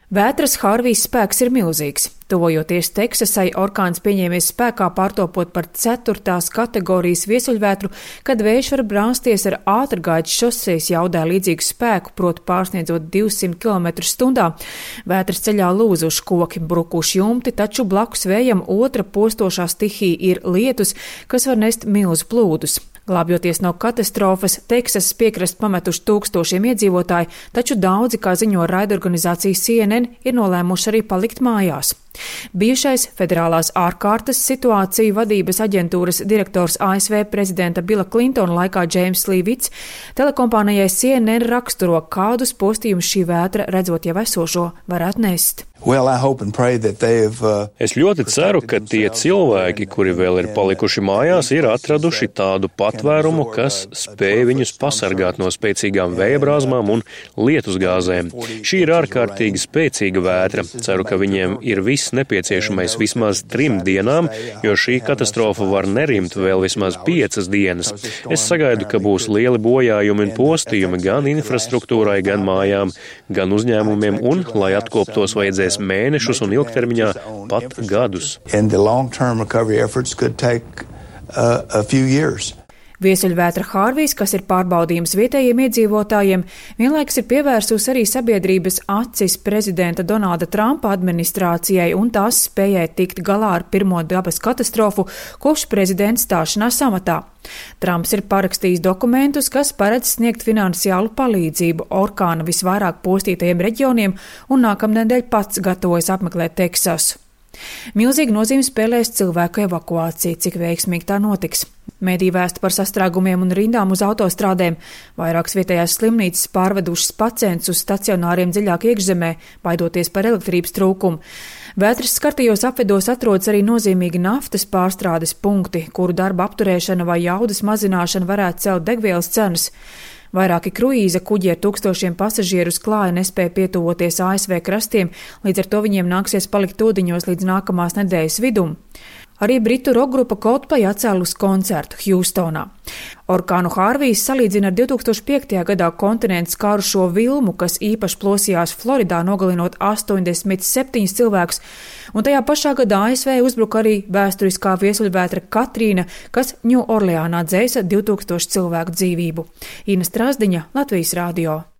Vētras Hārvijas spēks ir milzīgs. Tuvojoties Teksasai, orkāns pieņēmies spēkā pārtopot par 4. kategorijas viesuļvētru, kad vējš var brāzties ar ātrgaitas šosejas jaudā līdzīgu spēku, proti pārsniedzot 200 km/h. Vētras ceļā lūzuši koki, brukuši jumti, taču blakus vējam otra postošā stihija ir lietus, kas var nest milzu plūdus. Glābjoties no katastrofas, Teksasas piekrastu pametuši tūkstošiem iedzīvotāji, taču daudzi, kā ziņo raidorganizācija CNN, ir nolēmuši arī palikt mājās. Bijušais federālās ārkārtas situāciju vadības aģentūras direktors ASV prezidenta Bila Klintona laikā Džeims Līvits telekompānijai CNN raksturo, kādus postījumus šī vētra, redzot jau esošo, varētu nest. Es ļoti ceru, ka tie cilvēki, kuri vēl ir palikuši mājās, ir atraduši tādu patvērumu, kas spēj viņus pasargāt no spēcīgām vējabrāzmām un lietusgāzēm. Šī ir ārkārtīgi spēcīga vētra. Ceru, ka viņiem ir viss nepieciešamais vismaz 3 dienām, jo šī katastrofa var nerimt vēl vismaz 5 dienas. Es sagaidu, ka būs lieli bojājumi un postījumi gan infrastruktūrai, gan mājām, gan uzņēmumiem, un, lai atkoptos, vajadzēs mēnešus un ilgtermiņā pat gadus. Viesuļvētra Hārvijas, kas ir pārbaudījums vietējiem iedzīvotājiem, vienlaikus ir pievērsusi arī sabiedrības acis prezidenta Donalda Trumpa administrācijai un tās spējai tikt galā ar pirmo dabas katastrofu kopš prezidenta stāšanās amatā. Trumps ir parakstījis dokumentus, kas paredz sniegt finansiālu palīdzību orkāna visvairāk postītajiem reģioniem un nākamnedēļ pats gatavojas apmeklēt Teksasu. Milzīga nozīme spēlēs cilvēku evakuācija, cik veiksmīgi tā notiks. Mediji vēsta par sastrēgumiem un rindām uz autostrādēm. Vairākas vietējās slimnīcas pārvedušas pacientus uz stacionāriem dziļāk iekšzemē, baidoties par elektrības trūkumu. Vētras skartajos apvidos atrodas arī nozīmīgi naftas pārstrādes punkti, kuru darba apturēšana vai jaudas mazināšana varētu celt degvielas cenas. Vairāki kruīza kuģi ar tūkstošiem pasažieru uz klāja nespēja pietuvoties ASV krastiem, līdz ar to viņiem nāksies palikt ūdeņos līdz nākamās nedēļas vidum. Arī britu rokgrupa Coldplay atcēlus koncertu Hjūstonā. Orkānu Hārvijas salīdzina ar 2005. gadā kontinentu skārušo vilmu, kas īpaši plosījās Floridā, nogalinot 87 cilvēkus, un tajā pašā gadā ASV uzbruka arī vēsturiskā viesuļvētra Katrīna, kas Ņūorleānā dzēsa 2000 cilvēku dzīvību. Ina Strasdiņa, Latvijas radio.